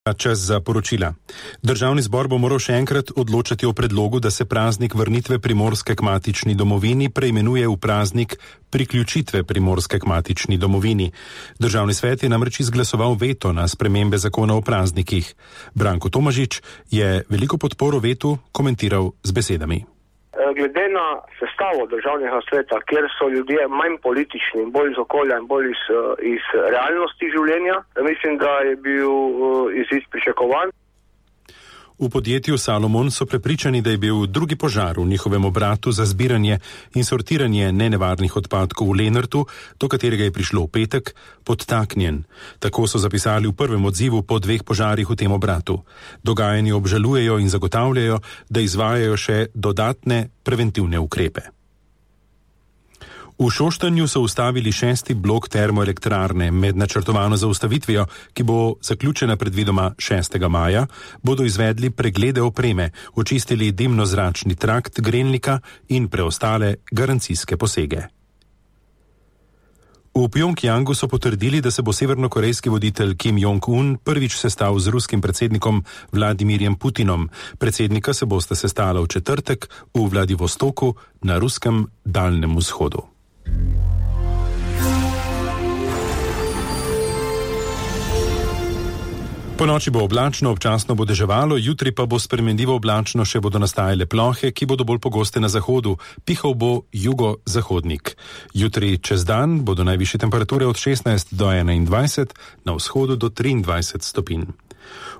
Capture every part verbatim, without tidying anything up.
Čas za poročila. Državni zbor bo moral še enkrat odločati o predlogu, da se praznik vrnitve Primorske k matični domovini preimenuje v praznik priključitve Primorske k matični domovini. Državni svet je namreč izglasoval veto na spremembe zakona o praznikih. Branko Tomažič je veliko podporo vetu komentiral z besedami. Glede na sestavo državnega sveta, kjer so ljudje manj politični, bolj iz okolja in bolj iz, iz realnosti življenja, mislim, da je bil izid pričakovan. V podjetju Salomon so prepričani, da je bil drugi požar v njihovem obratu za zbiranje in sortiranje nenevarnih odpadkov v Lenartu, do katerega je prišlo v petek, podtaknjen. Tako so zapisali v prvem odzivu po dveh požarih v tem obratu. Dogajanje obžalujejo in zagotavljajo, da izvajajo še dodatne preventivne ukrepe. V Šoštanju so ustavili šesti blok termoelektrarne. Med načrtovano zaustavitvijo, ki bo zaključena predvidoma šestega maja, bodo izvedli preglede opreme, očistili dimno-zračni trakt grelnika in preostale garancijske posege. V Pjongjangu so potrdili, da se bo severnokorejski voditelj Kim Jong-un prvič sestal z ruskim predsednikom Vladimirjem Putinom. Predsednika se bosta sestala v četrtek v Vladivostoku na ruskem daljnem vzhodu. Po noči bo oblačno, občasno bo deževalo, jutri pa bo spremenljivo oblačno, še bodo nastajale plohe, ki bodo bolj pogoste na zahodu. Pihal bo jugo-zahodnik. Jutri čez dan bodo najvišje temperature od šestnajst do enaindvajset, na vzhodu do triindvajset stopinj.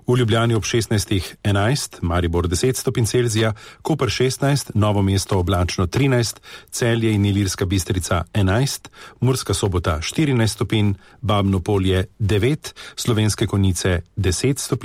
V Ljubljani ob šestnajst enajst, Maribor deset stopinj Celzija, Koper šestnajst, Novo mesto oblačno trinajst, Celje in Ilirska Bistrica enajst, Murska Sobota štirinajst stopinj, Babno Polje devet, Slovenske Konjice deset stopinj.